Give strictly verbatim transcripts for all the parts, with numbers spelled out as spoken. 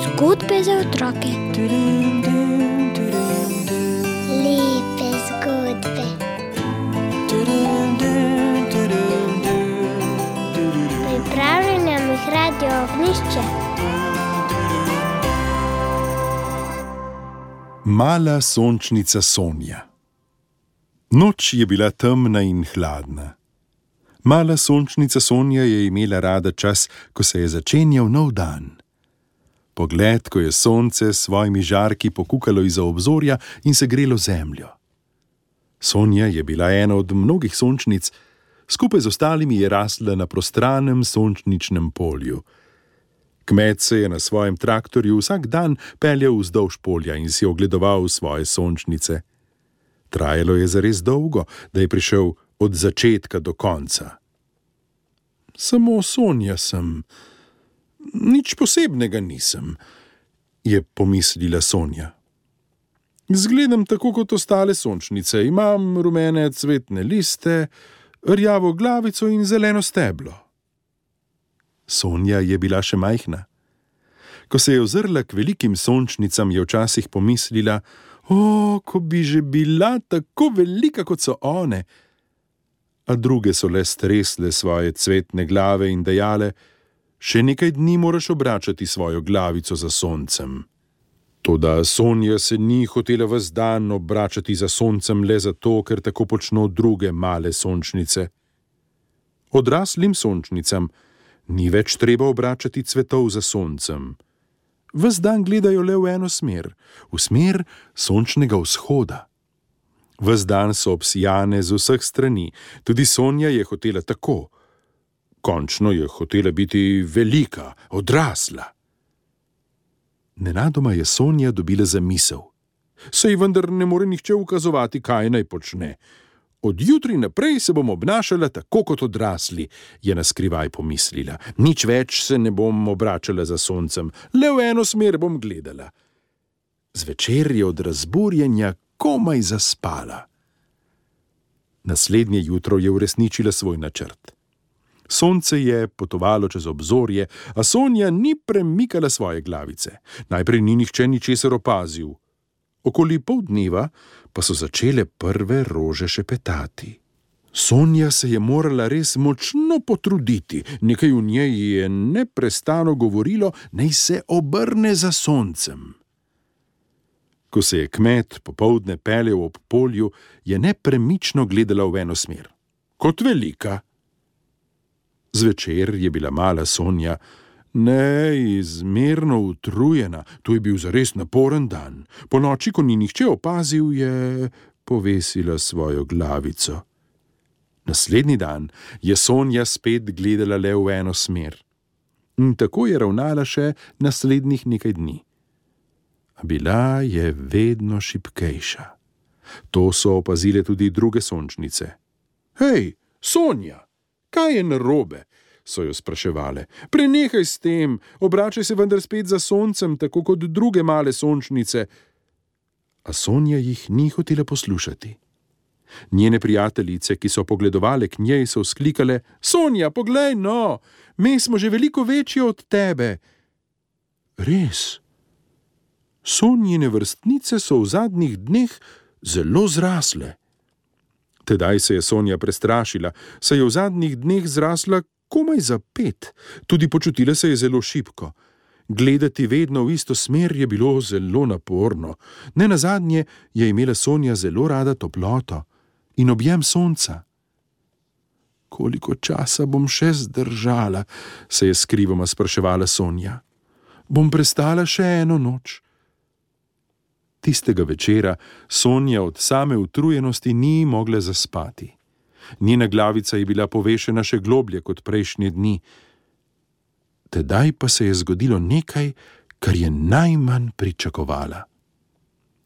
Zgodbe za otroke. Lepe zgodbe. Pripravlja nam jih Radio Ognjišče. Mala sončnica Sonja. Noč je bila temna in hladna. Mala sončnica Sonja je imela rada čas, ko se je začenjal nov dan. Pogled, ko je sonce s svojimi žarki pokukalo izza obzorja in se grelo zemljo. Sonja je bila ena od mnogih sončnic, skupaj z ostalimi je rasla na prostranem sončničnem polju. Kmet se je na svojem traktorju vsak dan peljal vzdolž polja in si ogledoval svoje sončnice. Trajalo je zares dolgo, da je prišel od začetka do konca. Samo Sonja sem, nič posebnega nisem, je pomislila Sonja. Zgledam tako kot ostale sončnice, imam rumene cvetne liste, rjavo glavico in zeleno steblo. Sonja je bila še majhna. Ko se je ozrla k velikim sončnicam, je včasih pomislila, o, ko bi že bila tako velika, kot so one. A druge so le stresle svoje cvetne glave in dejale, še nekaj dni moraš obračati svojo glavico za soncem. Toda Sonja se ni hotela ves dan obračati za soncem le zato, ker tako počno druge male sončnice. Odraslim sončnicam ni več treba obračati cvetov za soncem. Ves dan gledajo le v eno smer, v smer sončnega vzhoda. Ves dan so obsijane z vseh strani, tudi Sonja je hotela tako. Končno je hotela biti velika, odrasla. Nenadoma je Sonja dobila zamisel. Saj vendar ne more nihče ukazovati, kaj naj počne. Od jutri naprej se bom obnašala tako kot odrasli, je naskrivaj pomislila. Nič več se ne bom obračala za soncem, le v eno smer bom gledala. Zvečer je od razburjenja komaj zaspala. Naslednje jutro je uresničila svoj načrt. Sonce je potovalo čez obzorje, a Sonja ni premikala svoje glavice. Najprej ni nihče ničesar opazil. Okoli pol dneva pa so začele prve rože šepetati. Sonja se je morala res močno potruditi, nekaj v njej je neprestano govorilo, naj se obrne za soncem. Ko se je kmet popoldne peljal ob polju, je nepremično gledala v eno smer. Kot velika. Zvečer je bila mala Sonja neizmerno utrujena, to je bil zares naporen dan. Po noči, ko ni nihče opazil, je povesila svojo glavico. Naslednji dan je Sonja spet gledala le v eno smer. In tako je ravnala še naslednjih nekaj dni. A bila je vedno šibkejša. To so opazile tudi druge sončnice. Hej, Sonja! Kaj je narobe? So jo spraševale. Prenehaj s tem, obračaj se vendar spet za soncem, tako kot druge male sončnice. A Sonja jih ni hotela poslušati. Njene prijateljice, ki so pogledovale k njej, so vzklikale, Sonja, poglej no, mi smo že veliko večji od tebe. Res? Sonjine vrstnice so v zadnjih dneh zelo zrasle. Tedaj se je Sonja prestrašila, saj je v zadnjih dneh zrasla komaj za pet, tudi počutila se je zelo šibko. Gledati vedno v isto smer je bilo zelo naporno. Nenazadnje je imela Sonja zelo rada toploto in objem sonca. Koliko časa bom še zdržala, se je skrivoma spraševala Sonja. Bom prestala še eno noč. Tistega večera Sonja od same utrujenosti ni mogla zaspati. Njena glavica je bila povešena še globlje kot prejšnje dni. Tedaj pa se je zgodilo nekaj, kar je najmanj pričakovala.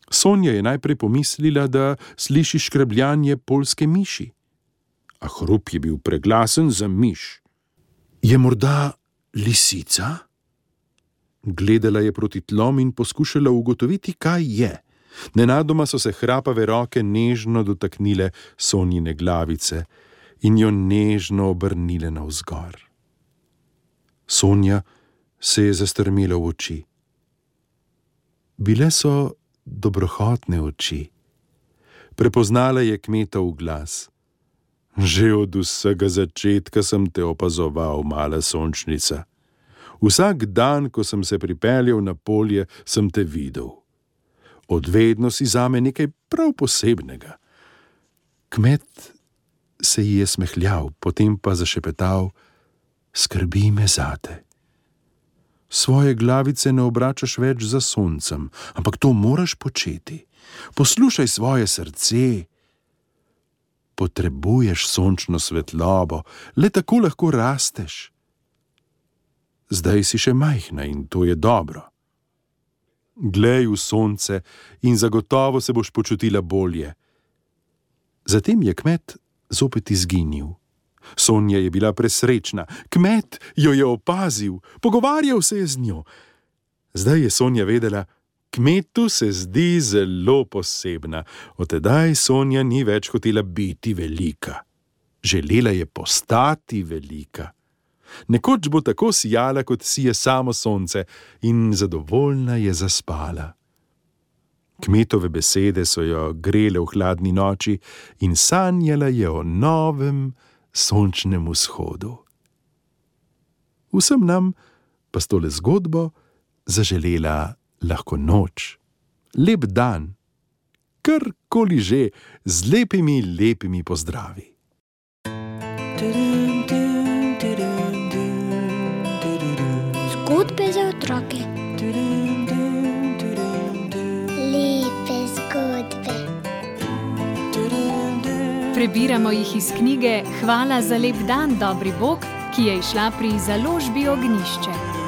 Sonja je najprej pomislila, da sliši škrebljanje poljske miši. A hrup je bil preglasen za miš. Je morda lisica? Gledala je proti tlom in poskušala ugotoviti, kaj je. Nenadoma so se hrapave roke nežno dotaknile Sonjine glavice in jo nežno obrnile navzgor. Sonja se je zastrmela v oči. Bile so dobrohotne oči. Prepoznala je kmetov glas. Že od vsega začetka sem te opazoval, mala sončnica. Vsak dan, ko sem se pripeljal na polje, sem te videl. Odvedno si zame nekaj prav posebnega. Kmet se ji je smehljal, potem pa zašepetal: skrbi me zate. Svoje glavice ne obračaš več za soncem, ampak to moraš početi. Poslušaj svoje srce. Potrebuješ sončno svetlobo, le tako lahko rasteš. Zdaj si še majhna in to je dobro. Glej v sonce in zagotovo se boš počutila bolje. Zatem je kmet zopet izginil. Sonja je bila presrečna. Kmet jo je opazil, pogovarjal se je z njo. Zdaj je Sonja vedela, kmetu se zdi zelo posebna. Od tedaj Sonja ni več hotela biti velika. Želela je postati velika. Nekoč bo tako sijala, kot sije samo sonce, in zadovoljna je zaspala. Kmetove besede so jo grele v hladni noči in sanjala je o novem sončnem vzhodu. Vsem nam pa s tole zgodbo zaželela lahko noč, lep dan, karkoli že, z lepimi, lepimi pozdravi. Zgodbe za otroke. Lepe zgodbe. Prebiramo jih iz knjige Hvala za lep dan, dobri Bog, ki je izšla pri založbi Ognjišče.